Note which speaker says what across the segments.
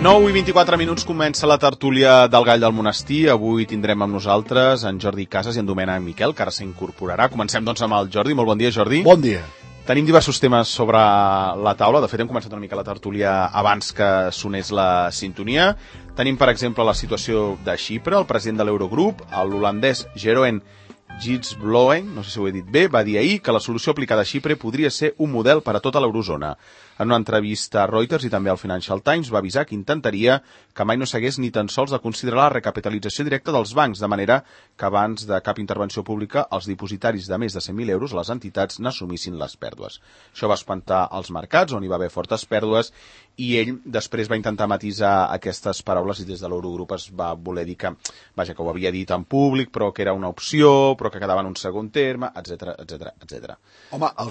Speaker 1: 9 i 24 minuts comença la tertúlia del Gall del Monestir. Avui tindrem amb nosaltres en Jordi Casas i en Domènec Miquel, que ara s'incorporarà. Comencem doncs amb el Jordi. Molt bon dia, Jordi.
Speaker 2: Bon dia.
Speaker 1: Tenim diversos temes sobre la taula. De fet, hem començat una mica la tertúlia abans que sonés la sintonia. Tenim, per exemple, la situació de Xipre. El president de l'Eurogrup, l'holandès Jeroen Dijsselbloem, no sé si ho he dit bé, va dir ahir que la solució aplicada a Xipre podria ser un model per a tota l'eurozona. En una entrevista a Reuters i també al Financial Times va avisar que intentaria que mai no s'hagués ni tan sols de considerar la recapitalització directa dels bancs, de manera que abans de cap intervenció pública els dipositaris de més de 100.000 euros, les entitats, n'assumissin les pèrdues. Això va espantar els mercats, on hi va haver fortes pèrdues, i ell després va intentar matisar aquestes paraules i des de l'Eurogrup es va voler dir que, vaja, que ho havia dit en públic, però que era una opció, però que quedava en un segon terme, etc etc.
Speaker 2: Home, el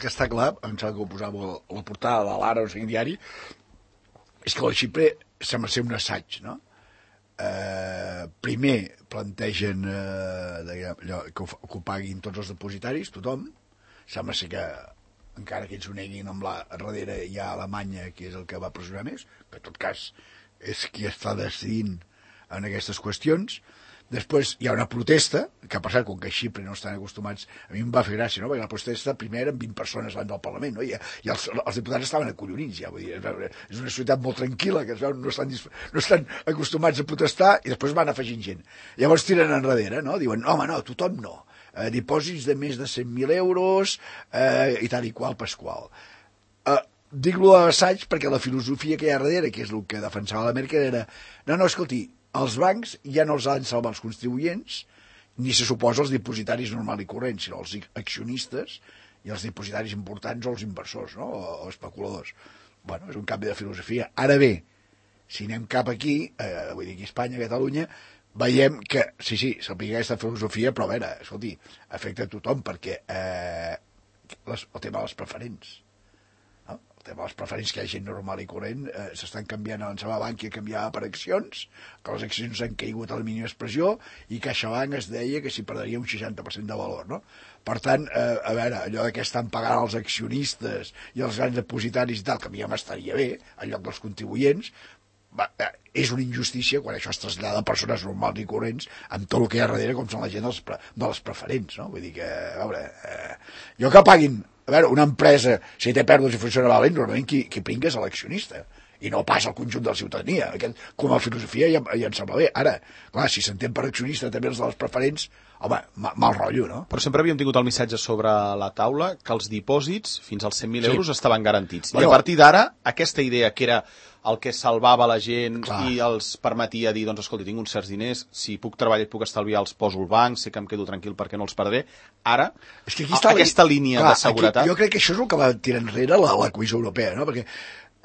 Speaker 2: que està clar, em sembla que ho posava la portada de l'Ara o sigui diari, és que la Xipre sembla ser un assaig, no? Primer plantegen que ho paguin tots els depositaris, tothom. Sembla ser que encara que ells ho neguin, darrere hi ha Alemanya, que és el que va pressionar més, que en tot cas és qui està decidint en aquestes qüestions. Després hi ha una protesta, que per cert, com que a Xipre no estan acostumats, a mi em va fer gràcia, no? Perquè la protesta primer eren 20 persones davant del Parlament, no? I els diputats estaven acollonits, ja, vull dir, és una societat molt tranquil·la, que no estan acostumats a protestar, i després van afegint gent. Llavors tiren enrere, no? Diuen, home, no, tothom no. Dipòsits de més de 100.000 euros i tal i qual pasqual. Dic-lo a l'assaig perquè la filosofia que hi ha darrere, que és el que defensava la Merkel, era no, escolti, els bancs ja no els han salvat els contribuents, ni se suposa els dipositaris normal i corrents, sinó els accionistes i els dipositaris importants o els inversors, no? O especuladors. Bueno, és un canvi de filosofia. Ara bé, si anem cap aquí, vull dir aquí a Espanya, a Catalunya, veiem que, sí, s'aplica aquesta filosofia, però a veure, escolti, afecta a tothom, perquè el tema de les preferents, no? El tema de les preferents, que hi ha gent normal i corrent, s'estan canviant, abans la Bankia canviava per accions, que les accions han caigut a la mínima expressió, i CaixaBank es deia que s'hi perdria un 60% de valor, no? Per tant, a veure, allò que estan pagant els accionistes i els grans depositaris i tal, que a mi ja m'estaria bé, en lloc dels contribuents, és una injustícia quan això es trasllada a persones normals i corrents amb tot el que hi ha darrere, com són la gent de les preferents, no? Vull dir que, a veure, jo que paguin, a veure, una empresa, si té pèrdues i funciona malament, normalment qui pringa és l'accionista, i no pas el conjunt de la ciutadania. Com a filosofia ja em sembla bé. Ara, clar, si s'entén per accionista també els de les preferents, home, mal rotllo, no?
Speaker 1: Però sempre havíem tingut el missatge sobre la taula que els dipòsits fins als 100.000 euros estaven garantits. I a partir d'ara, aquesta idea que era el que salvava la gent i els permetia dir, doncs, escolta, tinc uns certs diners, si puc treballar i puc estalviar, els poso al banc, sé que em quedo tranquil perquè no els perdré. Ara,
Speaker 2: és que
Speaker 1: aquesta línia de seguretat...
Speaker 2: Jo crec que això és el que va tirar enrere la Comissió Europea, no? Perquè,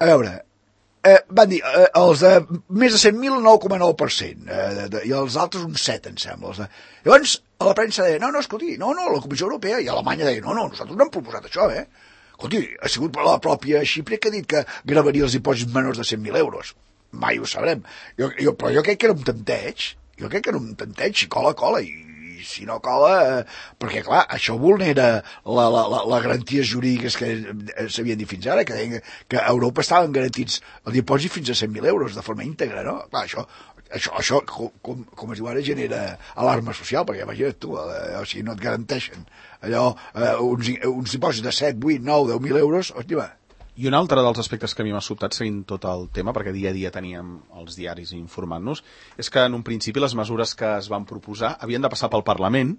Speaker 2: a veure, van dir, els de més de 100.000, 9,9%, i els altres un 7, em sembla. Llavors, a la premsa deia, no, escolti, no, la Comissió Europea, i Alemanya deia, no, nosaltres no hem proposat això, Escolti, ha sigut la pròpia Xipre que ha dit que gravaria els dipòsits menors de 100.000 euros. Mai ho sabrem. Però jo crec que era un tanteig. Si cola, i si no cola... perquè, clar, això vulnera les garanties jurídiques que s'havien dit fins ara, que deien que a Europa estaven garantits el dipòsit fins a 100.000 euros de forma íntegra, no? Clar, això com es diu ara, genera alarma social, perquè imagina't tu, o sigui, no et garanteixen allò, uns dipòsits de 7, 8, 9, 10.000 euros, hòstia,
Speaker 1: I un altre dels aspectes que a mi m'ha sobtat seguint tot el tema, perquè dia a dia teníem els diaris informant-nos, és que en un principi les mesures que es van proposar havien de passar pel Parlament.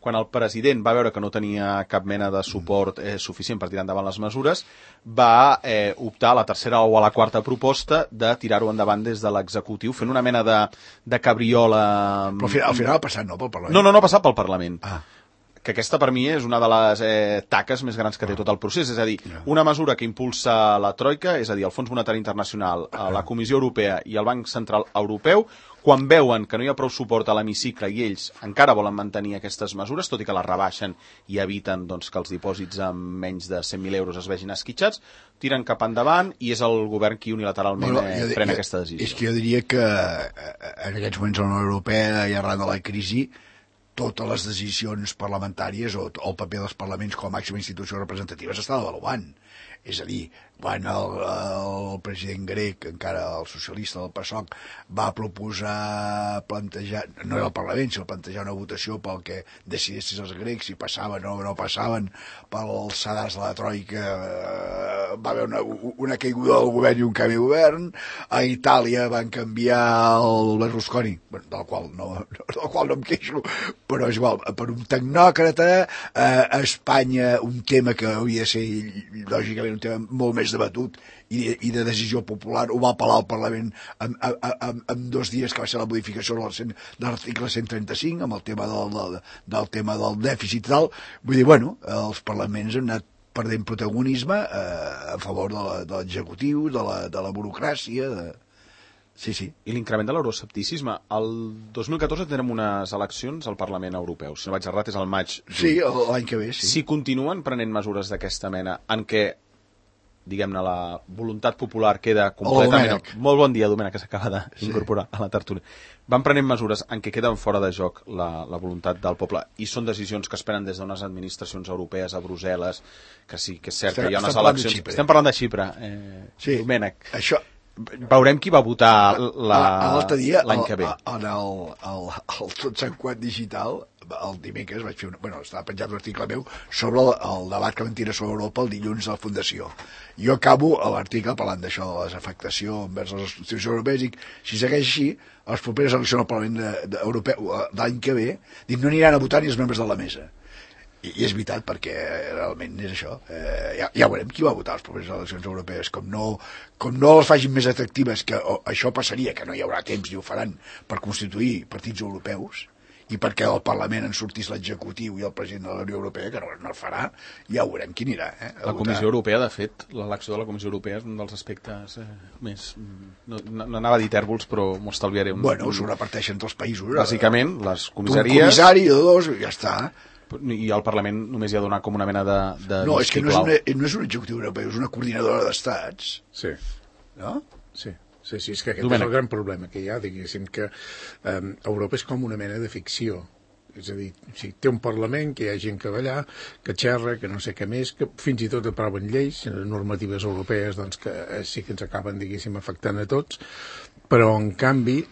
Speaker 1: Quan el president va veure que no tenia cap mena de suport suficient per tirar endavant les mesures, va optar a la tercera o a la quarta proposta de tirar-ho endavant des de l'executiu, fent una mena de cabriola...
Speaker 2: Però al final ha passat, no, pel Parlament?
Speaker 1: No ha passat pel Parlament. Que aquesta per mi és una de les taques més grans que té tot el procés, és a dir, una mesura que impulsa la Troika, és a dir, el Fons Monetari Internacional, la Comissió Europea i el Banc Central Europeu, quan veuen que no hi ha prou suport a l'hemicicle i ells encara volen mantenir aquestes mesures, tot i que les rebaixen i eviten doncs, que els dipòsits amb menys de 100.000 euros es vegin esquitxats, tiren cap endavant i és el govern qui unilateralment pren aquesta decisió.
Speaker 2: És que jo diria que en aquests moments a la Unió Europea i arran de la crisi totes les decisions parlamentàries o el paper dels parlaments com a màxima institució representativa s'està devaluant. És a dir, quan el president grec, encara el socialista del PASOK, va proposar plantejar, no era el Parlament, sinó plantejar una votació pel que decidessin els grecs, si passaven o no passaven pels sedars de la Troika, va haver una caiguda del govern i un canvi de govern. A Itàlia van canviar el Berlusconi, del qual no em queixo, però és igual, per un tecnòcrata. A Espanya un tema que hauria de ser lògicament un tema molt més debatut i de decisió popular ho va apel·lar al Parlament en 2 dies, que va ser la modificació de l'article 135 amb el tema del tema del dèficit i tal. Vull dir, bueno, els parlaments han anat perdent protagonisme a favor de l'executiu, de la burocràcia. Sí.
Speaker 1: I l'increment de l'euroscepticisme. El 2014 tindrem unes eleccions al Parlament Europeu. Si no vaig errat, és al maig.
Speaker 2: Sí, l'any que ve, sí.
Speaker 1: Si continuen prenent mesures d'aquesta mena en què, diguem-ne, la voluntat popular queda completament... Molt bon dia, Domènec, que s'acaba d'incorporar a la tertúlia. Van prenent mesures en què queden fora de joc la voluntat del poble i són decisions que es prenen des d'unes administracions europees a Brussel·les, que sí, que és cert que hi ha unes eleccions... Estem parlant de Xipre, Domènec.
Speaker 2: Això...
Speaker 1: Veurem qui va votar
Speaker 2: l'altre dia
Speaker 1: l'any que ve.
Speaker 2: En el Tot Sant Quant Digital, el dimecres vaig fer estava penjat un article meu sobre el debat que van tirar sobre Europa el dilluns de la Fundació. Jo acabo l'article parlant d'això, de les afectacions envers les institucions europees, i si segueix així, a les properes eleccions al Parlament Europeu d'any que ve, no aniran a votar ni els membres de la mesa. I és veritat, perquè realment és això. Ja veurem qui va votar a les properes eleccions europees. Com no les facin més atractives, que això passaria, que no hi haurà temps ni ho faran per constituir partits europeus, i perquè al Parlament en sortís l'executiu i el president de la Unió Europea, que no el farà, ja veurem qui anirà.
Speaker 1: La Comissió Europea, de fet, l'elecció de la Comissió Europea és un dels aspectes més... No anava a dir tèrbols, però m'ho estalviaré.
Speaker 2: S'ho reparteixen entre els països.
Speaker 1: Bàsicament, les comissaries...
Speaker 2: Un comissari o 2, ja està.
Speaker 1: I al Parlament només hi ha de donar com una mena de...
Speaker 2: No, és que no és un executiu europeu, és una coordinadora d'estats.
Speaker 3: Sí.
Speaker 2: No?
Speaker 3: Sí, és que aquest és el gran problema que hi ha, diguéssim, que Europa és com una mena de ficció. És a dir, té un Parlament, que hi ha gent que va allà, que xerra, que no sé què més, que fins i tot aproven lleis, normatives europees, doncs, que sí que ens acaben, diguéssim, afectant a tots, però, en canvi,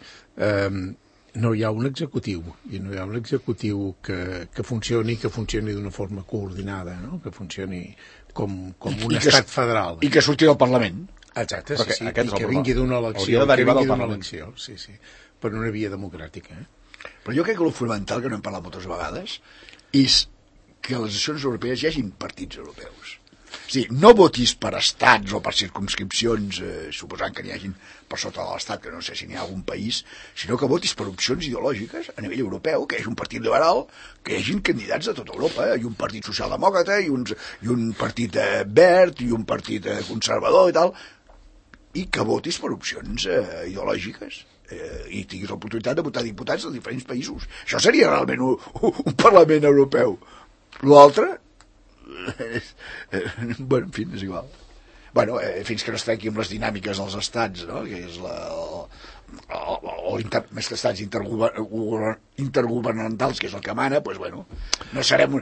Speaker 3: no hi ha un executiu, i no hi ha un executiu que funcioni d'una forma coordinada, no? Que funcioni com un estat federal.
Speaker 2: I que surti del Parlament.
Speaker 3: Exacte, sí, i que vingui d'una elecció, sí, per una via democràtica.
Speaker 2: Però jo crec que el fonamental, que no hem parlat moltes vegades, és que a les eleccions europees hi hagin partits europeus. Sí, no votis per estats o per circumscripcions, suposant que n'hi hagin per sota de l'estat, que no sé si n'hi ha algun país, sinó que votis per opcions ideològiques a nivell europeu, que hi hagi un partit liberal, que hi hagin candidats de tota Europa, i un partit socialdemòcrata, i un partit verd, i un partit conservador i tal, i que votis per opcions ideològiques i tinguis l'oportunitat de votar diputats de diferents països. Això seria realment un Parlament europeu. L'altre... bueno, en fi, és igual. Fins que no es trenqui amb les dinàmiques dels estats, no? Que és més que estats intergovernamentals, que és el que mana, doncs, bueno, no serem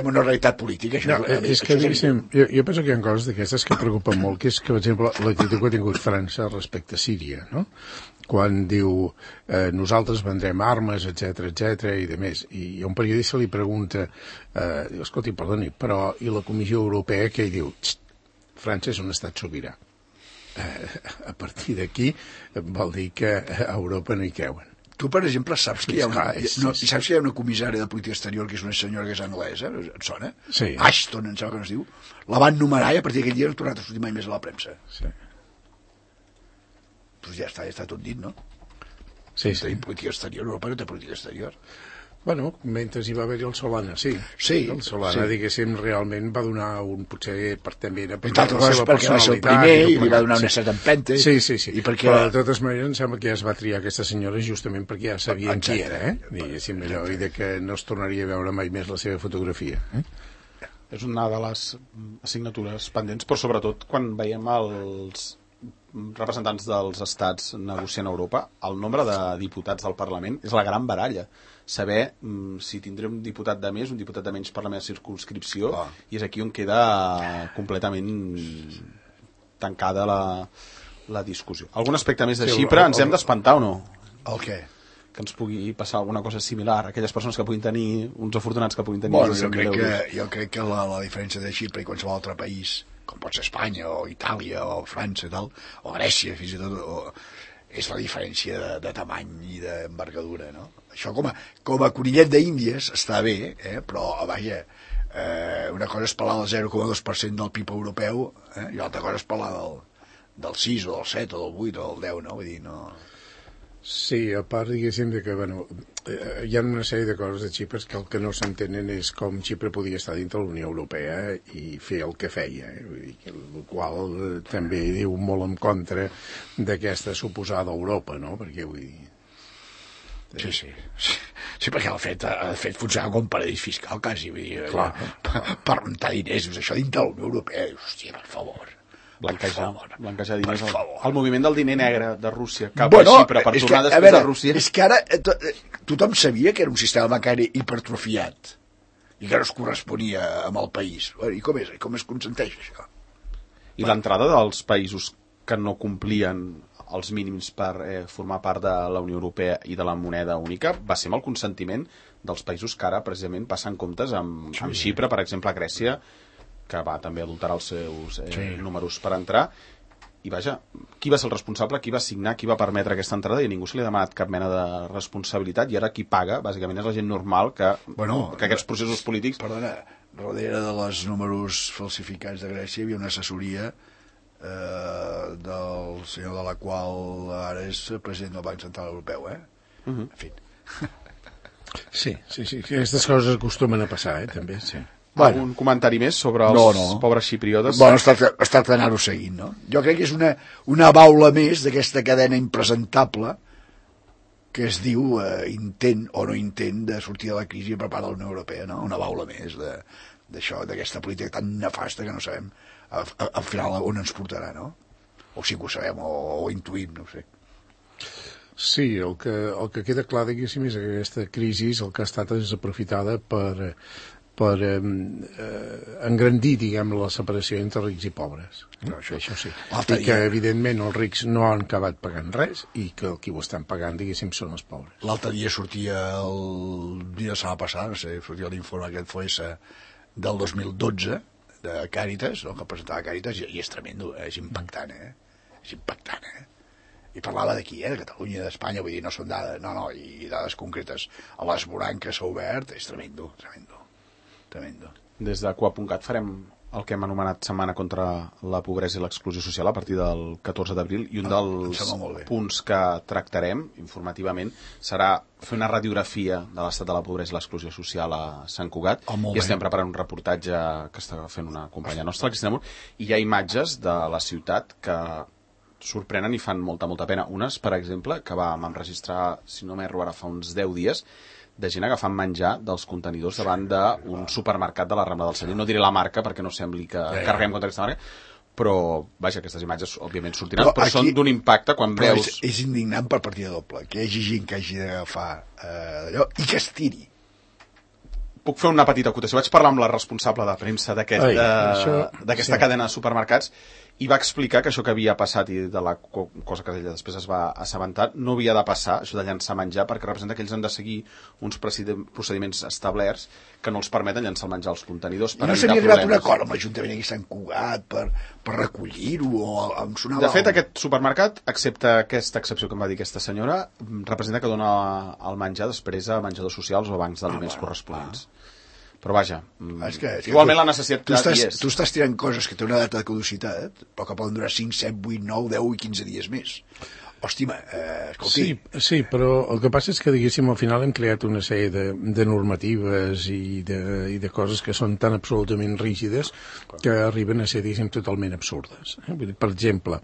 Speaker 2: una realitat política. Això
Speaker 3: és que, jo penso que hi ha coses d'aquestes que preocupen molt, que és que, per exemple, l'actitud que ha tingut França respecte a Síria, no? Quan diu nosaltres vendrem armes, etc i de més. I un periodista li pregunta, escolti, perdoni, però i la Comissió Europea què hi diu? França és un estat sobirà. A partir d'aquí vol dir que a Europa no hi creuen.
Speaker 2: Tu, per exemple, saps que hi ha una comissària de política exterior que és una senyora que és anglesa, et sona?
Speaker 3: Sí.
Speaker 2: Ashton, em sembla que no es diu. La van nomenar i a partir d'aquell dia no ha tornat a sortir mai més a la premsa.
Speaker 3: Sí.
Speaker 2: Doncs ja està tot dit, no?
Speaker 3: Sí.
Speaker 2: Tenim política exterior, Europa no té política exterior.
Speaker 3: Bueno, mentre hi va haver-hi el Solana, sí. El Solana, diguéssim, realment va donar potser també per la seva personalitat.
Speaker 2: Perquè va ser el primer i li va donar una certa empenta.
Speaker 3: Sí. Però de totes maneres em sembla que ja es va triar aquesta senyora justament perquè ja sabien qui era, diguéssim, allò, i de que no es tornaria a veure mai més la seva fotografia.
Speaker 1: És una de les assignatures pendents, però sobretot quan veiem representants dels estats negociant a Europa, el nombre de diputats del Parlament és la gran baralla. Saber si tindré un diputat de més, un diputat de menys per la meva circumscripció, i és aquí on queda completament tancada la discussió. Algun aspecte més de Xipre? Ens hem d'espantar o no?
Speaker 2: El què?
Speaker 1: Que ens pugui passar alguna cosa similar, aquelles persones que puguin tenir, uns afortunats que puguin tenir...
Speaker 2: Bueno, jo crec que la diferència de Xipre i qualsevol altre país, com pot ser Espanya o Itàlia o França tal, o Grècia fins i tot, és la diferència de tamany i d'envergadura, no? Això com a conillet d'Índies està bé, però vaja, una cosa és parlar del 0,2% del PIB europeu, i l'altra cosa és parlar del 6 o del 7 o del 8 o del 10, no? Vull dir, no...
Speaker 3: Sí, a part, diguéssim, que hi ha una sèrie de coses de Xipre que el que no s'entenen és com Xipre podia estar dintre la Unió Europea i fer el que feia, vull dir, el qual també diu molt en contra d'aquesta suposada Europa, no? Perquè, vull dir...
Speaker 2: Sí, perquè ha fet funcionar com paradís fiscal, quasi, vull dir, per rentar diners, això dintre la Unió Europea, hòstia, per favor.
Speaker 1: Blanquejar diners. El moviment del diner negre de Rússia cap a Xipre per tornar després a Rússia.
Speaker 2: És que ara tothom sabia que era un sistema bancari hipertrofiat i que no es corresponia amb el país. I com es consenteix això?
Speaker 1: I l'entrada dels països que no complien els mínims per formar part de la Unió Europea i de la moneda única va ser amb el consentiment dels països que ara precisament passen comptes amb Xipre, per exemple, a Grècia, que va també adulterar els seus números per entrar, i vaja, qui va ser el responsable, qui va signar, qui va permetre aquesta entrada, i a ningú se li ha demanat cap mena de responsabilitat, i ara qui paga, bàsicament, és la gent normal que aquests processos polítics...
Speaker 2: Perdona, darrere dels números falsificats de Grècia hi havia una assessoria del senyor de la qual ara és president del Banc Central Europeu, En fi.
Speaker 3: Sí, aquestes coses acostumen a passar, també, sí.
Speaker 1: Algun comentari més sobre els pobres xipriotes?
Speaker 2: Bueno, es tracta d'anar-ho seguint, no? Jo crec que és una baula més d'aquesta cadena impresentable que es diu intent o no intent de sortir de la crisi per part de la Unió Europea, no? Una baula més d'això, d'aquesta política tan nefasta que no sabem al final on ens portarà, no? O sí que ho sabem, o intuïm, no ho sé.
Speaker 3: Sí, el que queda clar, diguéssim, és que aquesta crisi el que ha estat és aprofitada per engrandir, diguem, la separació entre rics i pobres. Això sí. I que, evidentment, els rics no han acabat pagant res i que qui ho estan pagant, diguéssim, són els pobres.
Speaker 2: L'altre dia sortia, el dia de la setmana passada, no sé, sortia l'informe aquest FOES del 2012 de Càritas, no?, que presentava Càritas, i és tremendo, és impactant, És impactant, I parlava d'aquí, de Catalunya, d'Espanya, vull dir, no són dades, i dades concretes. A l'Esborany que s'ha obert, és tremendo.
Speaker 1: Des de Coa.cat farem el que hem anomenat Setmana contra la Pobresa i l'Exclusió Social a partir del 14 d'abril, i un dels punts que tractarem informativament serà fer una radiografia de l'estat de la pobresa i l'exclusió social a Sant Cugat, i estem preparant un reportatge que està fent una companya nostra, Cristina Mur, i hi ha imatges de la ciutat que sorprenen i fan molta pena. Unes, per exemple, que vam enregistrar, si no m'erro ara, fa uns 10 dies, de gent agafant menjar dels contenidors davant d'un supermercat de la Rambla del Celler. No diré la marca perquè no sembli que carreguem contra aquesta marca, però, vaja, aquestes imatges òbviament sortiran, però són d'un impacte quan veus...
Speaker 2: És indignant per partida doble, que hi hagi gent que hagi d'agafar d'allò i que es tiri.
Speaker 1: Puc fer una petita acotació. Vaig parlar amb la responsable de premsa d'aquesta cadena de supermercats i va explicar que això que havia passat, i de la cosa que ella després es va assabentar, no havia de passar, això de llançar menjar, perquè representa que ells han de seguir uns procediments establerts que no els permeten llançar el menjar als contenidors.
Speaker 2: I no s'havia arribat un acord amb l'Ajuntament aquí a Sant Cugat per recollir-ho, o em sonava...
Speaker 1: De fet, aquest supermercat, excepte aquesta excepció que em va dir aquesta senyora, representa que dona el menjar després a menjadors socials o bancs d'aliments corresponents. Però vaja, igualment la necessitat hi és.
Speaker 2: Tu estàs tirant coses que tenen una data de caducitat, però que poden durar 5, 7, 8, 9, 10 i 15 dies més. hòstima, escolti...
Speaker 3: Sí, però el que passa és que, diguéssim, al final hem creat una sèrie de normatives i de coses que són tan absolutament rígides que arriben a ser, diguéssim, totalment absurdes. Per exemple,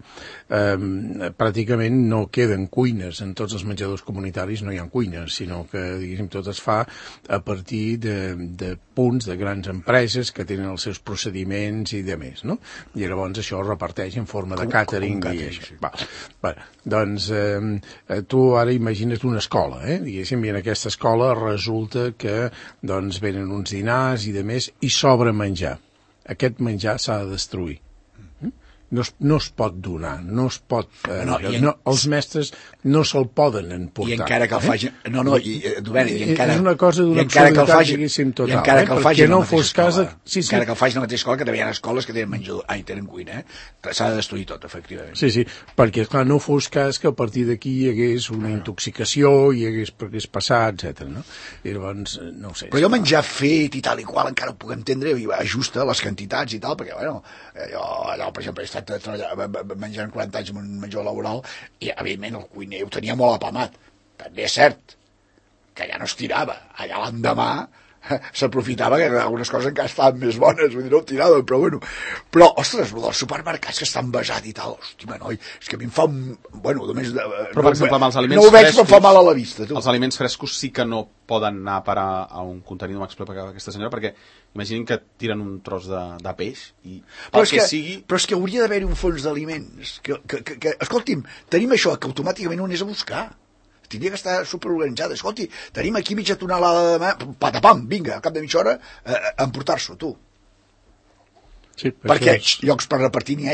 Speaker 3: pràcticament no queden cuines en tots els menjadors comunitaris, no hi ha cuines, sinó que, diguéssim, tot es fa a partir de punts de grans empreses que tenen els seus procediments i de més, no? I llavors això es reparteix en forma de càtering i això. Sí. Doncs tu ara imagina't una escola, diguéssim, i en aquesta escola resulta que doncs venen uns dinars i de més i sobra menjar. Aquest menjar s'ha de destruir. No es pot donar, no es pot... els mestres no se'l poden emportar.
Speaker 2: I encara que el facin...
Speaker 3: És una cosa d'una absurditat, diguéssim, total.
Speaker 2: I encara que el facin
Speaker 3: no fos cas...
Speaker 2: Encara que el facin a la mateixa escola, que també hi ha escoles que tenen menjador... tenen cuina, s'ha de destruir tot, efectivament.
Speaker 3: Sí, perquè, clar, no fos cas que a partir d'aquí hi hagués una intoxicació, hi hagués passat, etc. No? I llavors, no ho sé.
Speaker 2: Però jo menjar fet i tal i qual encara ho puc entendre, i ajusta les quantitats i tal, perquè, bueno, allò, per exemple, menjant 40 anys en un menjador laboral i evidentment el cuiner ho tenia molt apamat. També és cert que ja no es tirava, allà l'endemà s'aprofitava que algunes coses encara estaven més bones, vull dir, no ho tirava, però bueno. Però, ostres, els supermercats que estan basats i tal, hòstia, noi, és que a mi em fa només...
Speaker 1: Però, per exemple, amb els aliments
Speaker 2: no ho veig, però fa mal a la vista, tu.
Speaker 1: Els aliments frescos sí que no poden anar a parar a un contenidor, m'explica aquesta senyora, perquè imaginin que tiren un tros de peix i sigui...
Speaker 2: Però és que hauria d'haver-hi un fons d'aliments, que escolti'm, tenim això, que automàticament ho anés a buscar. Tindria que estar superorganitzada. Escolti, tenim aquí mitja tonelada de mà, patapam, vinga, al cap de mitja hora, a emportar-s'ho, tu.
Speaker 3: Sí,
Speaker 2: perquè llocs per repartir n'hi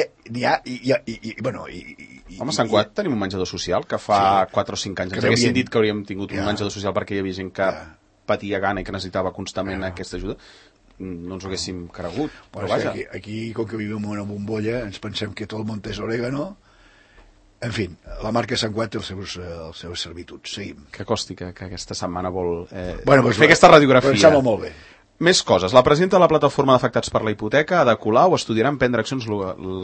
Speaker 2: ha i bueno...
Speaker 1: Home, a Sant Cugat tenim un menjador social que fa 4 o 5 anys ens haguessin dit que hauríem tingut un menjador social perquè hi havia gent que patia gana i que necessitava constantment aquesta ajuda. No ens ho haguéssim cregut, però vaja.
Speaker 2: Aquí, com que vivim en una bombolla, ens pensem que tot el món és orégano. En fi, la marca Sant Cugat té els seus servituds. Seguim.
Speaker 1: Que costi que aquesta setmana vol fer aquesta radiografia.
Speaker 2: Em sembla molt bé.
Speaker 1: Més coses. La presidenta de la plataforma d'afectats per la hipoteca, Ada Colau, estudiarà emprendre accions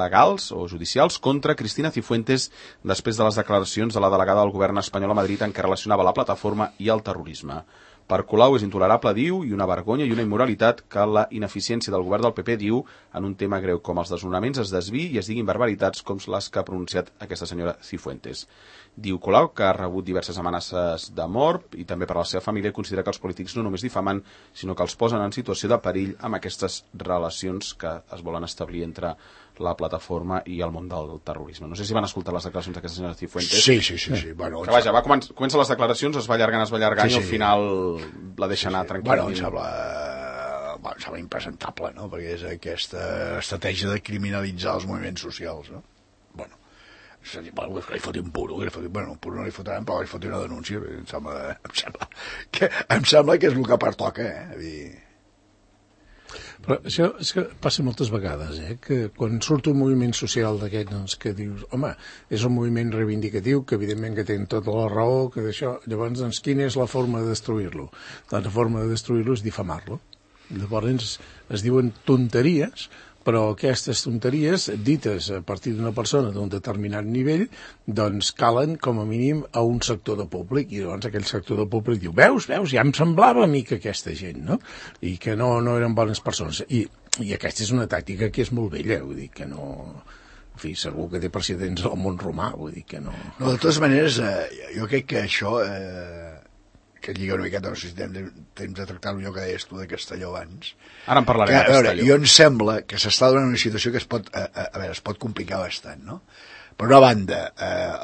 Speaker 1: legals o judicials contra Cristina Cifuentes després de les declaracions de la delegada del govern espanyol a Madrid en què relacionava la plataforma i el terrorisme. Per Colau és intolerable, diu, i una vergonya i una immoralitat que la ineficiència del govern del PP, diu, en un tema greu com els desnonaments es desviï i es diguin barbaritats com les que ha pronunciat aquesta senyora Cifuentes. Diu Colau que ha rebut diverses amenaces de mort i també per a la seva família considera que els polítics no només difamen, sinó que els posen en situació de perill amb aquestes relacions que es volen establir entre la plataforma i el món del terrorisme. No sé si van escoltar les declaracions d'aquesta senyora Cifuentes.
Speaker 2: Sí. Bueno,
Speaker 1: que vaja, comença les declaracions, es va allargant i al final la deixa anar tranquil·lament.
Speaker 2: Bueno, em sembla impresentable, no? Perquè és aquesta estratègia de criminalitzar els moviments socials, no? Bueno, li foti un puro, un puro no li fotran, però li foti una denúncia. Em sembla que és el que pertoca,
Speaker 3: Però això és que passa moltes vegades, que quan surt un moviment social d'aquest, doncs, que dius, home, és un moviment reivindicatiu, que evidentment que tenen tota la raó, que d'això, llavors, doncs, quina és la forma de destruir-lo? Doncs la forma de destruir-lo és difamar-lo. Llavors es diuen tonteries, però aquestes tonteries, dites a partir d'una persona d'un determinat nivell, doncs calen com a mínim a un sector de públic, i llavors aquell sector de públic diu, veus, ja em semblava a mi que aquesta gent, no? I que no eren bones persones. I aquesta és una tàctica que és molt vella, vull dir que no... En fi, segur que té precedents al món romà, vull dir que no...
Speaker 2: No, de totes maneres, jo crec que això... que lliga una miqueta, no sé si tenim temps de tractar-ho, allò que deies tu de Castelló abans.
Speaker 1: Ara en parlarem de Castelló.
Speaker 2: Jo em sembla que s'està donant una situació que es pot complicar bastant, no? Per una banda,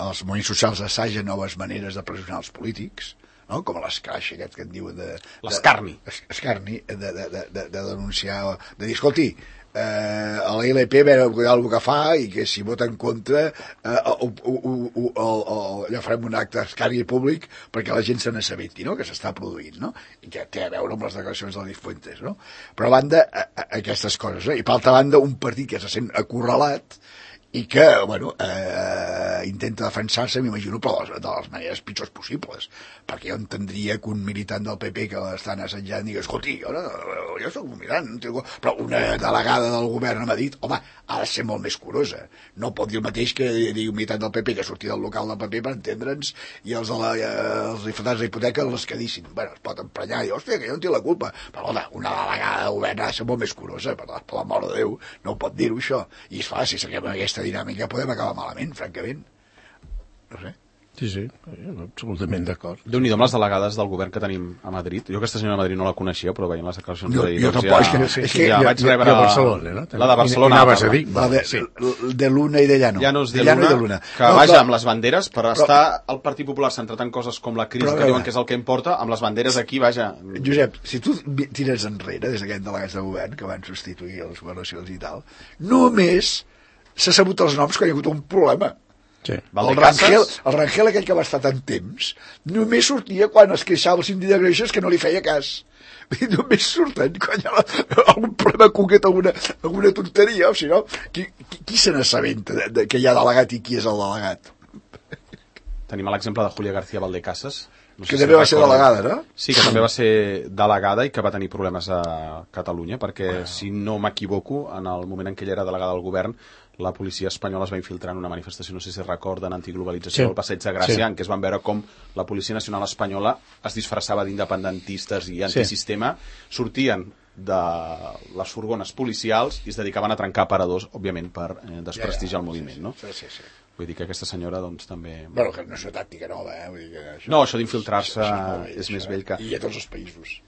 Speaker 2: els moviments socials assagen noves maneres de pressionar els polítics, no? Com l'escraix aquest que et diuen de...
Speaker 1: L'escarni.
Speaker 2: Escarni, de denunciar, de dir, escolti, a la ILP veure el que fa i que si vota en contra allò farem un acte escarni públic perquè la gent se n'assabenti, no? Que s'està produint, no? I que té a veure amb les declaracions de Cifuentes, no? Però a banda aquestes coses, i per altra banda un partit que se sent acorralat i que, bueno, intenta defensar-se, m'imagino, però de les maneres pitjors possibles, perquè jo entendria que un militant del PP que l'estan assetjant digui, escolti, jo soc un militant, però una delegada del govern m'ha dit, home, ha de ser molt més curosa, no pot dir el mateix que digui un militant del PP que sortia del local del PP per entendre'ns, i els difundants d'hipoteca els quedissin, bueno, es pot emprenyar i dir, hòstia, que jo no tinc la culpa, però home, una delegada del govern ha de ser molt més curosa, per l'amor de Déu, no pot dir-ho això, i és clar, si seguim aquesta dinàmica podem acabar malament, francament. No sé.
Speaker 3: Sí, absolutament d'acord.
Speaker 1: Déu-n'hi-do amb les delegades del govern que tenim a Madrid. Jo aquesta senyora a Madrid no la coneixia, però veient les declaracions d'ahir...
Speaker 2: Jo tampoc,
Speaker 1: és que ja vaig rebre...
Speaker 3: a Barcelona, no?
Speaker 1: La de Barcelona.
Speaker 3: Anaves a dir?
Speaker 2: De l'una i de Llano.
Speaker 1: Llanos de Luna, que vaja amb les banderes, per estar el Partit Popular centrat en coses com la crisi, que diuen que és el que importa, amb les banderes aquí, vaja...
Speaker 2: Josep, si tu tires enrere, des d'aquests delegats de govern que van substituir les governacions i tal, només s'ha sabut els noms quan hi ha hagut un problema.
Speaker 3: Sí.
Speaker 2: El Rangel aquell que va estar tant temps només sortia quan es queixava el síndic de Greixes que no li feia cas. Només surten quan hi ha algun problema concret, alguna tonteria, o si no, qui se n'assabenta que hi ha delegat i qui és el delegat?
Speaker 1: Tenim l'exemple de Julia García Valdecasas,
Speaker 2: no sé que també va ser delegada, no?
Speaker 1: Sí, que també va ser delegada i que va tenir problemes a Catalunya, perquè, si no m'equivoco, en el moment en què ella era delegada del govern, la policia espanyola es va infiltrar en una manifestació, no sé si recorden, antiglobalització del Passeig de Gràcia, en què es van veure com la Policia Nacional Espanyola es disfressava d'independentistes i antisistema, sortien de les furgones policials i es dedicaven a trencar aparadors, òbviament, per desprestigiar el moviment, no?
Speaker 2: Sí.
Speaker 1: Vull dir que aquesta senyora, doncs, també...
Speaker 2: Bueno, que no és una tàctica nova, Vull dir que això...
Speaker 1: No, això d'infiltrar-se és més vell que...
Speaker 2: I a tots els països.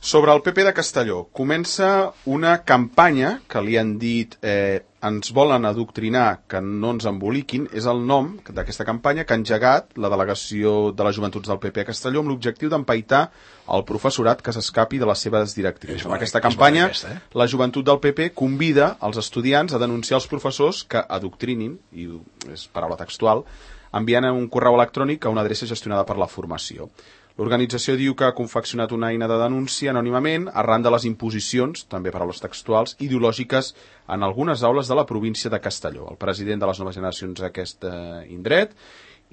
Speaker 1: Sobre el PP de Castelló, comença una campanya que li han dit ens volen adoctrinar, que no ens emboliquin, és el nom d'aquesta campanya que ha engegat la delegació de les joventuts del PP a Castelló amb l'objectiu d'empaitar el professorat que s'escapi de les seves directrius. Amb aquesta campanya, la joventut del PP convida els estudiants a denunciar els professors que adoctrinin, i és paraula textual, enviant un correu electrònic a una adreça gestionada per la formació. L'organització diu que ha confeccionat una eina de denúncia anònimament arran de les imposicions, també paraules textuals, ideològiques en algunes aules de la província de Castelló. El president de les noves generacions d'aquest indret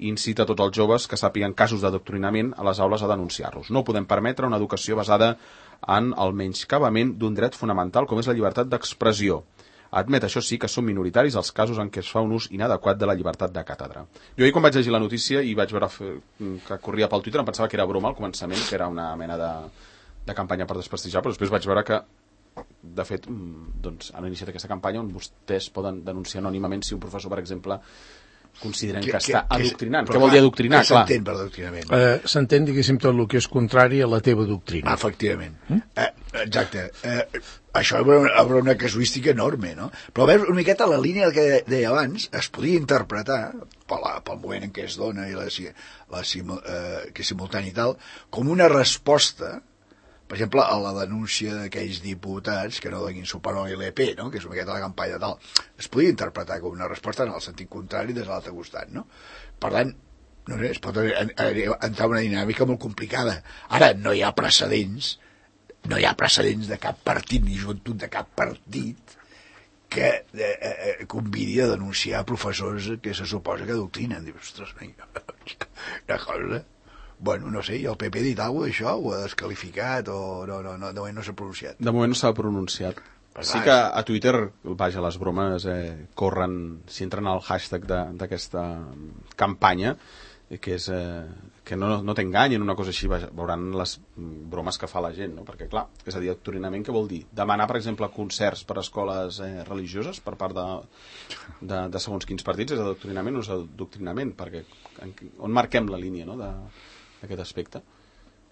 Speaker 1: incita tots els joves que sàpiguen casos d'adoctrinament a les aules a denunciar-los. No podem permetre una educació basada en el menyscabament d'un dret fonamental com és la llibertat d'expressió. Admet, això sí, que són minoritaris els casos en què es fa un ús inadequat de la llibertat de càtedra. Jo ahir, quan vaig llegir la notícia i vaig veure que corria pel Twitter, em pensava que era broma al començament, que era una mena de campanya per desprestigiar, però després vaig veure que, de fet, doncs, han iniciat aquesta campanya on vostès poden denunciar anònimament si un professor, per exemple, consideren que està adoctrinant. Què vol dir adoctrinar?
Speaker 2: Què s'entén per adoctrinament?
Speaker 3: S'entén, diguéssim, tot el que és contrari a la teva doctrina.
Speaker 2: Efectivament. Exacte. Això obre una casuística enorme, no? Però a veure, una miqueta la línia que deia abans es podia interpretar pel moment en què es dona i que és simultani i tal, com una resposta, per exemple, a la denúncia d'aquells diputats que no donin suport a l'ILP, no? Que és una miqueta la campanya tal. Es podia interpretar com una resposta en el sentit contrari des de l'altre costat, no? Per tant, no sé, es pot entrar una dinàmica molt complicada. Ara, no hi ha precedents de cap partit ni joventut de cap partit que convidi a denunciar professors que se suposa que adoctrinen. Dius, ostres, una cosa... Bueno, no sé, i el PP ha dit alguna cosa d'això? Ho ha desqualificat o no, de moment no s'ha pronunciat?
Speaker 1: De moment no s'ha pronunciat. Sí que a Twitter, vaja, les bromes corren, si entren al hashtag d'aquesta campanya, que és que no t'enganyen, una cosa així, veuran les bromes que fa la gent, no? Perquè, clar, és a dir, adoctrinament què vol dir? Demanar, per exemple, concerts per a escoles religioses per part de segons quins partits és adoctrinament o és adoctrinament? Perquè on marquem la línia, no?, d'aquest aspecte?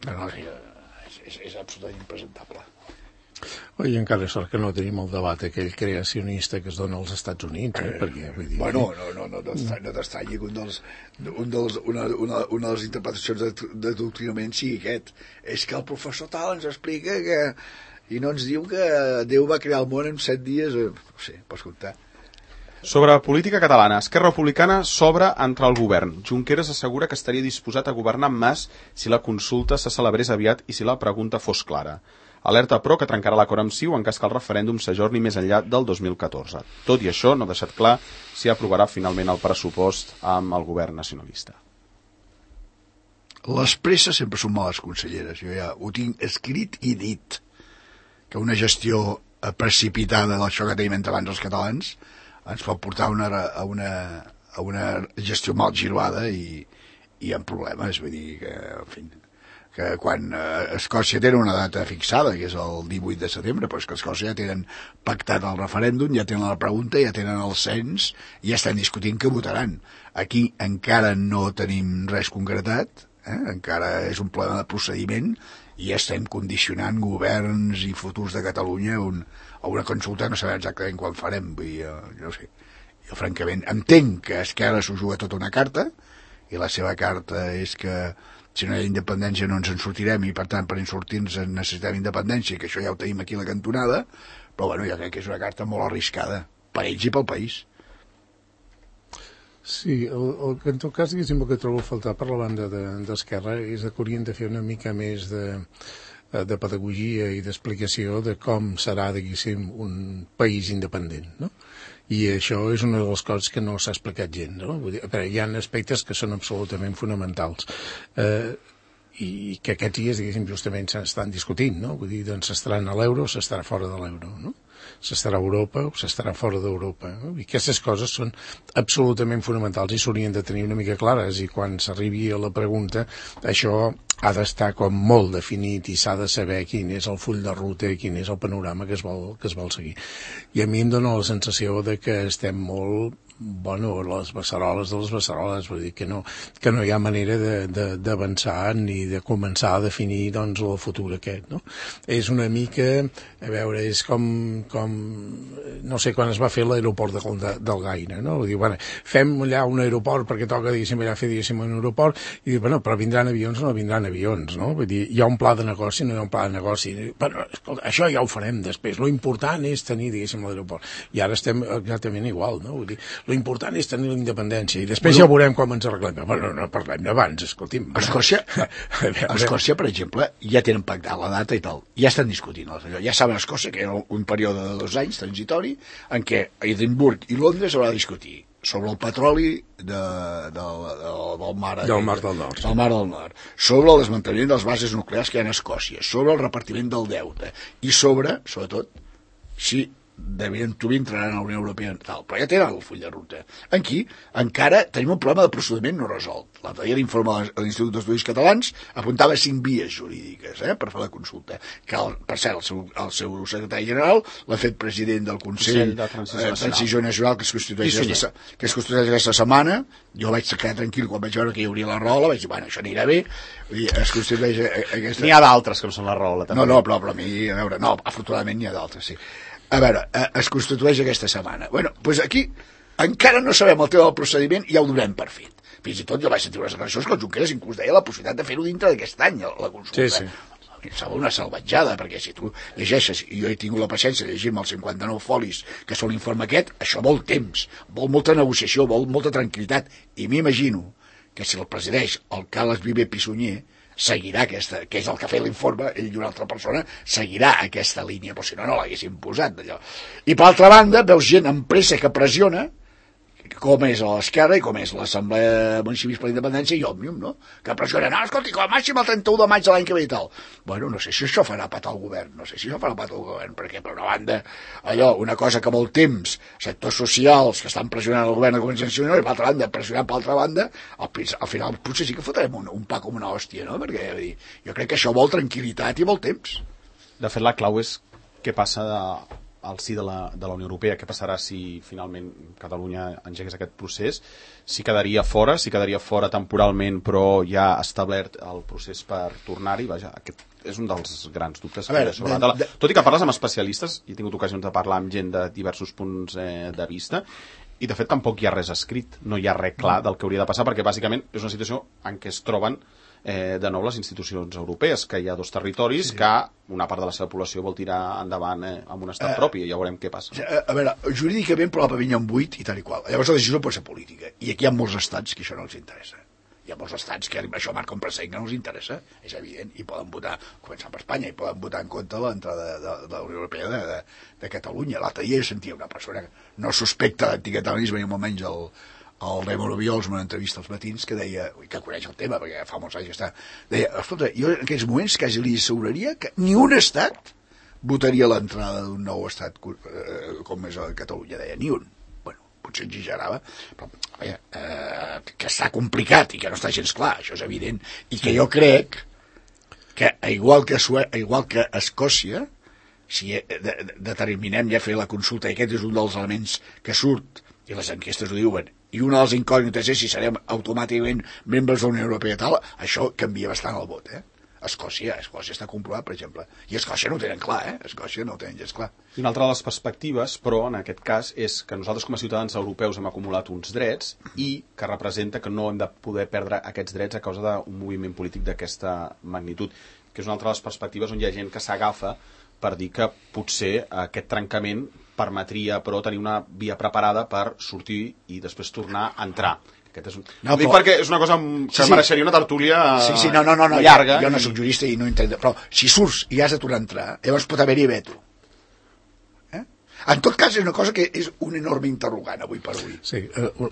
Speaker 2: No, és absolutament impresentable.
Speaker 3: I encara sort que no tenim el debat aquell creacionista que es dona als Estats Units, perquè, vull dir...
Speaker 2: Bueno, no t'estranya que una de les interpretacions d'adoctrinament sigui aquest. És que el professor tal ens explica que... i no ens diu que Déu va crear el món en 7 dies... No sé, pots comptar.
Speaker 1: Sobre política catalana, Esquerra Republicana s'obre entre el govern. Junqueras assegura que estaria disposat a governar amb Mas si la consulta se celebrés aviat i si la pregunta fos clara. Alerta, però, que trencarà l'acord amb CiU en cas que el referèndum s'ajorni més enllà del 2014. Tot i això, no ha deixat clar si aprovarà finalment el pressupost amb el govern nacionalista.
Speaker 2: Les presses sempre són males conselleres. Jo ja ho tinc escrit i dit, que una gestió precipitada d'això que tenim entre abans els catalans ens pot portar a una gestió mal giroada i amb problemes. Vull dir que, en fi, que quan Escòcia té una data fixada, que és el 18 de setembre, però és que Escòcia ja tenen pactat el referèndum, ja tenen la pregunta, ja tenen el cens, i ja estan discutint què votaran. Aquí encara no tenim res concretat, encara és un problema de procediment, i estem condicionant governs i futurs de Catalunya a una consulta, no sabem exactament quan farem. Vull dir, jo no sé. Jo, francament, entenc que Esquerra s'ho juga tota una carta, i la seva carta és que si no hi ha independència no ens en sortirem, i per tant per sortir-nos necessitem independència, i que això ja ho tenim aquí a la cantonada, però bueno, jo crec que és una carta molt arriscada, per ells i pel país.
Speaker 3: Sí, el que en tot cas, diguéssim, el que trobo a faltar per la banda d'Esquerra és que haurien de fer una mica més de pedagogia i d'explicació de com serà, diguéssim, un país independent, no? I això és una de les coses que no s'ha explicat gent, no? Vull dir, hi ha aspectes que són absolutament fonamentals. I que aquests dies, diguéssim, justament s'estan discutint, no? Vull dir, doncs s'estaran a l'euro o s'estarà fora de l'euro, no? S'estarà a Europa o s'estarà fora d'Europa, no? I aquestes coses són absolutament fonamentals i s'haurien de tenir una mica clares, i quan s'arribi a la pregunta això ha d'estar com molt definit i s'ha de saber quin és el full de ruta i quin és el panorama que es vol seguir. I a mi em dóna la sensació de que estem molt les beceroles de les beceroles, vull dir que no hi ha manera d'avançar ni de començar a definir doncs el futur aquest, no? És una mica, a veure, és com no sé, quan es va fer l'aeroport del Gaire, no? Vull dir, bueno, fem allà un aeroport perquè toca, diguéssim, allà fer, diguéssim, un aeroport, i dir, bueno, però vindran avions o no vindran avions, no? Vull dir, hi ha un pla de negoci, no hi ha un pla de negoci, però, escolta, això ja ho farem després, lo important és tenir, diguéssim, l'aeroport, i ara estem exactament igual, no? Vull dir, l'important és tenir la independència i després ja veurem com ens arreglem. Bueno, no parlem d'abans, escolti'm.
Speaker 2: Escòcia, per exemple, ja tenen pactat la data i tal. Ja estan discutint. Ja saben a Escòcia que era un període de 2 anys transitori en què Edimburg i Londres haurà de discutir sobre el petroli del mar del Nord, sobre el desmantellament de les bases nuclears que hi ha a Escòcia, sobre el repartiment del deute i sobre, sobretot, si tu entraran a la Unió Europea tal, però ja tenen el full de ruta. Aquí encara tenim un problema de procediment no resolt. L'altre dia l'informe de l'Institut d'Estudis Catalans apuntava 5 vies jurídiques per fer la consulta, que per cert el seu secretari general l'ha fet president del Consell de Transició Nacional que es constitueix aquesta setmana. Jo vaig quedar tranquil quan vaig veure que hi hauria la Rola, vaig dir, bueno, això anirà bé. Es constitueix aquesta...
Speaker 1: N'hi ha d'altres que no són la Rola, també.
Speaker 2: No, però a mi, a veure, no, afortunadament n'hi ha d'altres, sí. A veure, es constitueix aquesta setmana. Bueno, doncs aquí encara no sabem el tema del procediment i ja ho donem per fet. Fins i tot jo vaig sentir unes declaracions que el Junqueras inclús deia la possibilitat de fer-ho dintre d'aquest any, la consulta.
Speaker 3: Sí.
Speaker 2: Em sembla una salvatjada, perquè si tu llegeixes, i jo he tingut la paciència de llegir-me els 59 folis que són l'informe aquest, això vol temps, vol molta negociació, vol molta tranquil·litat, i m'imagino que si el presideix el Carles Viver Pissunyer, seguirà aquesta, que és el que ha fet l'informe, ell i una altra persona, seguirà aquesta línia, però si no l'haguessin posat d'allò. I per altra banda, veus gent amb pressa que pressiona, com és l'Esquerra i com és l'Assemblea Municipal per la Independència i Òmnium, no? Que pressionen, no, escolti, com a màxim el 31 de maig de l'any que ve i tal. Bueno, no sé si això farà patar el govern, perquè per una banda, allò, una cosa que vol temps, sectors socials que estan pressionant el govern de Convergència i Unió, i per altra banda, pressionant per altra banda, al final potser sí que fotrem un pa com una hòstia, no? Perquè jo crec que això vol tranquil·litat i vol temps.
Speaker 1: De fet, la clau és què passa al si de la Unió Europea, què passarà si finalment Catalunya engegués aquest procés, si quedaria fora temporalment, però ja ha establert el procés per tornar-hi. Vaja, aquest és un dels grans dubtes que hi ha sobre la taula. Tot i que parles amb especialistes, i he tingut ocasions de parlar amb gent de diversos punts de vista, i de fet tampoc hi ha res escrit, no hi ha res clar del que hauria de passar, perquè bàsicament és una situació en què es troben de nou les institucions europees, que hi ha 2 territoris que una part de la seva població vol tirar endavant amb un estat propi, i ja veurem què passa.
Speaker 2: A veure, jurídicament probablement hi ha 8 i tal i qual. Llavors la decisió pot ser política, i aquí hi ha molts estats que això no els interessa. Hi ha molts estats que això marca un precedent que no els interessa, és evident, i poden votar, començant per Espanya, i poden votar en contra de l'entrada de la Unió Europea de Catalunya. L'altre dia sentia una persona que no suspecta d'anticatalanisme ni molt menys el Raymond Obiols en una entrevista als matins que deia, que coneix el tema perquè fa molts anys que està, deia, escolta, jo en aquells moments quasi li asseguraria que ni un estat votaria l'entrada d'un nou estat com és Catalunya, deia, ni un. Bueno, potser exagerava, però que està complicat i que no està gens clar, això és evident, i que jo crec que igual que Escòcia, si determinem ja fer la consulta, i aquest és un dels elements que surt, i les enquestes ho diuen, i una de les incògnites és si serem automàticament membres de la Unió Europea tal, això canvia bastant el vot, Escòcia està comprovat, per exemple, i Escòcia no ho tenen clar, Escòcia no ho tenen gens clar.
Speaker 1: I una altra de les perspectives, però, en aquest cas, és que nosaltres com a ciutadans europeus hem acumulat uns drets i que representa que no hem de poder perdre aquests drets a causa d'un moviment polític d'aquesta magnitud, que és una altra de les perspectives on hi ha gent que s'agafa per dir que potser aquest trencament permetria, però, tenir una via preparada per sortir i després tornar a entrar. Aquest és ho dic perquè és una cosa que mereixeria una tertúlia llarga.
Speaker 2: Jo no soc jurista i no entenc, però si surts i has de tornar a entrar, llavors pot haver-hi veto. En tot cas, és una cosa que és un enorme interrogant avui per avui.
Speaker 3: Sí,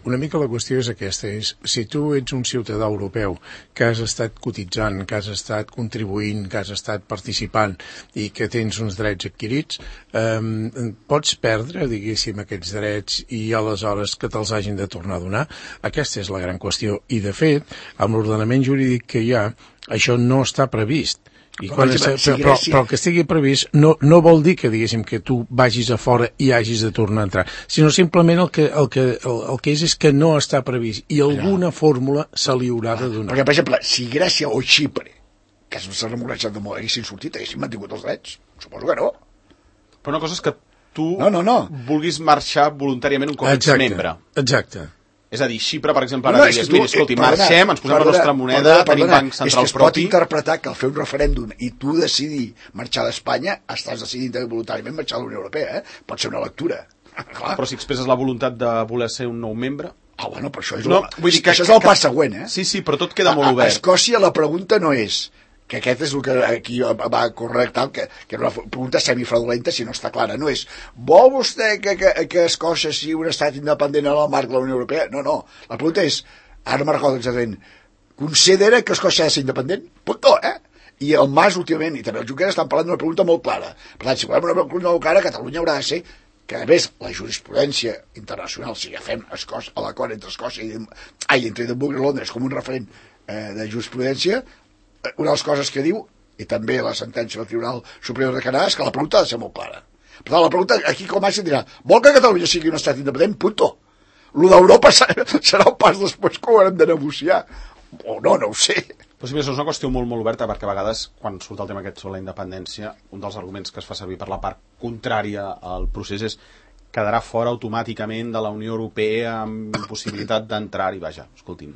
Speaker 3: una mica la qüestió és aquesta, és si tu ets un ciutadà europeu que has estat cotitzant, que has estat contribuint, que has estat participant i que tens uns drets adquirits, pots perdre, diguéssim, aquests drets i aleshores que te'ls hagin de tornar a donar? Aquesta és la gran qüestió. I, de fet, amb l'ordenament jurídic que hi ha, això no està previst. Però el que estigui previst no vol dir que, diguéssim, que tu vagis a fora i hagis de tornar a entrar, sinó simplement el que és que no està previst i alguna fórmula se li haurà de donar.
Speaker 2: Perquè, per exemple, si Grècia o Xipre, que s'ha remolejat de molt, haguessin sortit, haguessin mantingut els drets? Suposo que no.
Speaker 1: Però una cosa és que tu vulguis marxar voluntàriament un cop ets membre.
Speaker 3: Exacte.
Speaker 1: És a dir, Xipre, per exemple, ara digues, mira, escolti, marxem, ens posem la nostra moneda, tenim banc central propi...
Speaker 2: És que es pot interpretar que al fer un referèndum i tu decidir marxar d'Espanya, estàs decidint voluntàriament marxar de la Unió Europea, Pot ser una lectura.
Speaker 1: Però si expresses la voluntat de voler ser un nou membre...
Speaker 2: Bueno, però això és això és el pas següent,
Speaker 1: Sí, però tot queda molt obert.
Speaker 2: A Escòcia la pregunta no és... que aquest és el que aquí va correctar, que era una pregunta semifraudulenta si no està clara, no és vol vostè que Escòcia sigui un estat independent en el marc de la Unió Europea? No, la pregunta és, ara me'n recordo exactament, considera que Escòcia ha de ser independent? Punto, I el Mas últimament, i també el Junqueras, estan parlant d'una pregunta molt clara. Per tant, si volem una pregunta molt clara, Catalunya haurà de ser que, a més, la jurisprudència internacional, si agafem l'acord entre Escòcia entre Edimburg i Londres com un referent de jurisprudència, una de les coses que diu, i també la sentència del Tribunal Superior de Canadà, és que la pregunta ha de ser molt clara. Per tant, la pregunta aquí com a màxim dirà, vol que Catalunya sigui un estat independent? Punto. Lo d'Europa serà un pas després que ho haurem de negociar. O no ho sé.
Speaker 1: Però si més, és una qüestió molt oberta, perquè a vegades, quan surt el tema aquest sobre la independència, un dels arguments que es fa servir per la part contrària al procés és quedarà fora automàticament de la Unió Europea amb possibilitat d'entrar-hi. Vaja, escolti'm...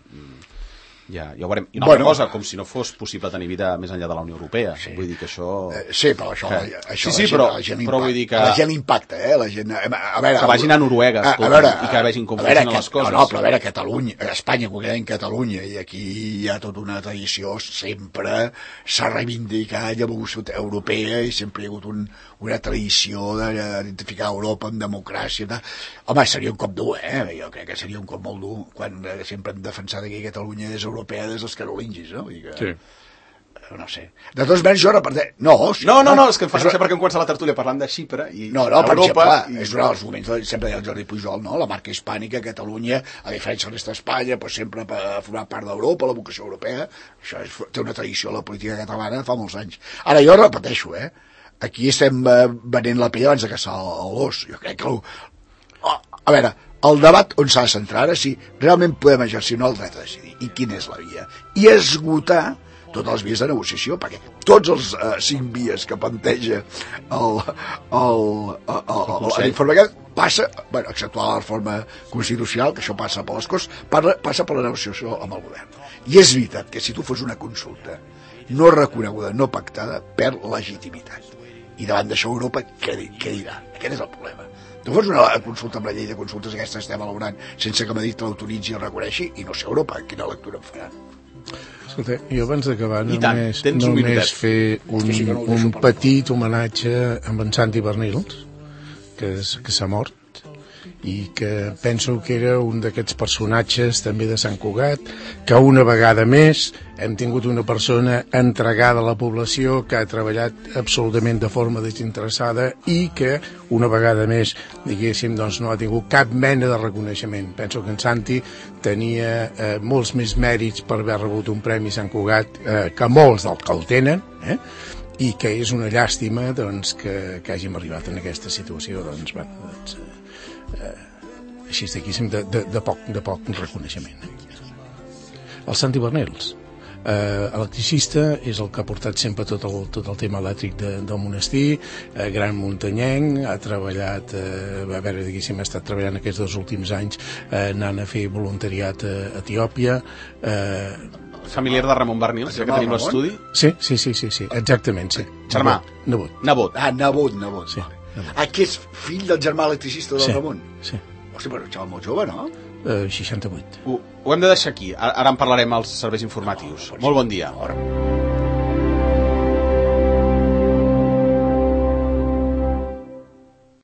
Speaker 1: Ja ho veurem. I una altra cosa, com si no fos possible tenir vida més enllà de la Unió Europea. Vull dir que això...
Speaker 2: Sí, però això
Speaker 1: però vull dir que...
Speaker 2: la gent impacta, la gent... A veure,
Speaker 1: que vagin a Noruega, escolta, i que vegin com funcionen les coses.
Speaker 2: No, però a veure, Catalunya, Espanya, concretament Catalunya, i aquí hi ha tota una tradició, sempre s'ha reivindicat l'evolució europea i sempre hi ha hagut una tradició d'identificar Europa amb democràcia. Home, seria un cop dur, Jo crec que seria un cop molt dur, quan sempre hem defensat que Catalunya és europea des dels carolingis, no?
Speaker 3: Sí.
Speaker 2: No sé. De totes maneres, jo reparteix... No,
Speaker 1: és que em fa gràcia perquè hem començat la tertúlia parlant de Xipre i
Speaker 2: Europa... Per exemple, és un dels moments, sempre deia el Jordi Pujol, no? La marca hispànica, Catalunya, a diferència de l'est d'Espanya, sempre ha format part d'Europa, la vocació europea, això té una tradició a la política catalana fa molts anys. Ara, jo repeteixo, aquí estem venent la pell abans de caçar l'os. Jo crec que... A veure, el debat on s'ha de centrar ara, si realment podem exercir el dret a decidir, i quina és la via, i esgotar totes les vies de negociació, perquè tots els 5 vies que planteja l'informe aquest passa, bueno, exceptuar la reforma constitucional, que això passa per les Corts, passa per la negociació amb el govern. I és veritat que si tu fos una consulta no reconeguda, no pactada, perd legitimitat. I davant d'això Europa què dirà? Aquest és el problema. Tu fos una consulta amb la llei de consultes aquesta estem elaborant sense que Madrid l'autoritzi i el reconeixi, i no sé Europa quina lectura en farà.
Speaker 3: Escolta, jo abans d'acabar només fer un petit homenatge amb en Santi Bernils, que s'ha mort, i que penso que era un d'aquests personatges també de Sant Cugat, que una vegada més hem tingut una persona entregada a la població, que ha treballat absolutament de forma desinteressada i que una vegada més, diguéssim, doncs no ha tingut cap mena de reconeixement. Penso que en Santi tenia molts més mèrits per haver rebut un Premi Sant Cugat que molts del que el tenen, i que és una llàstima doncs, que hàgim arribat en aquesta situació, doncs, bueno, així d'aquí de poc reconeixement. El Santi Bernils, electricista, és el que ha portat sempre tot el tema elèctric del monestir, gran muntanyenc, ha treballat, a veure, diguéssim, ha estat treballant aquests 2 últims anys anant a fer voluntariat a Etiòpia.
Speaker 1: Familiar de Ramon Bernils, que tenim l'estudi?
Speaker 3: Sí, exactament, sí.
Speaker 1: Germà?
Speaker 3: Nebot.
Speaker 2: Ah, nebot.
Speaker 3: Sí.
Speaker 2: Que és fill del germà electricista del Ramon?
Speaker 3: Sí.
Speaker 2: Hòstia, però un xaval molt jove, no?
Speaker 3: 68.
Speaker 1: Ho hem de deixar aquí. Ara en parlarem als serveis informatius. Molt bon dia.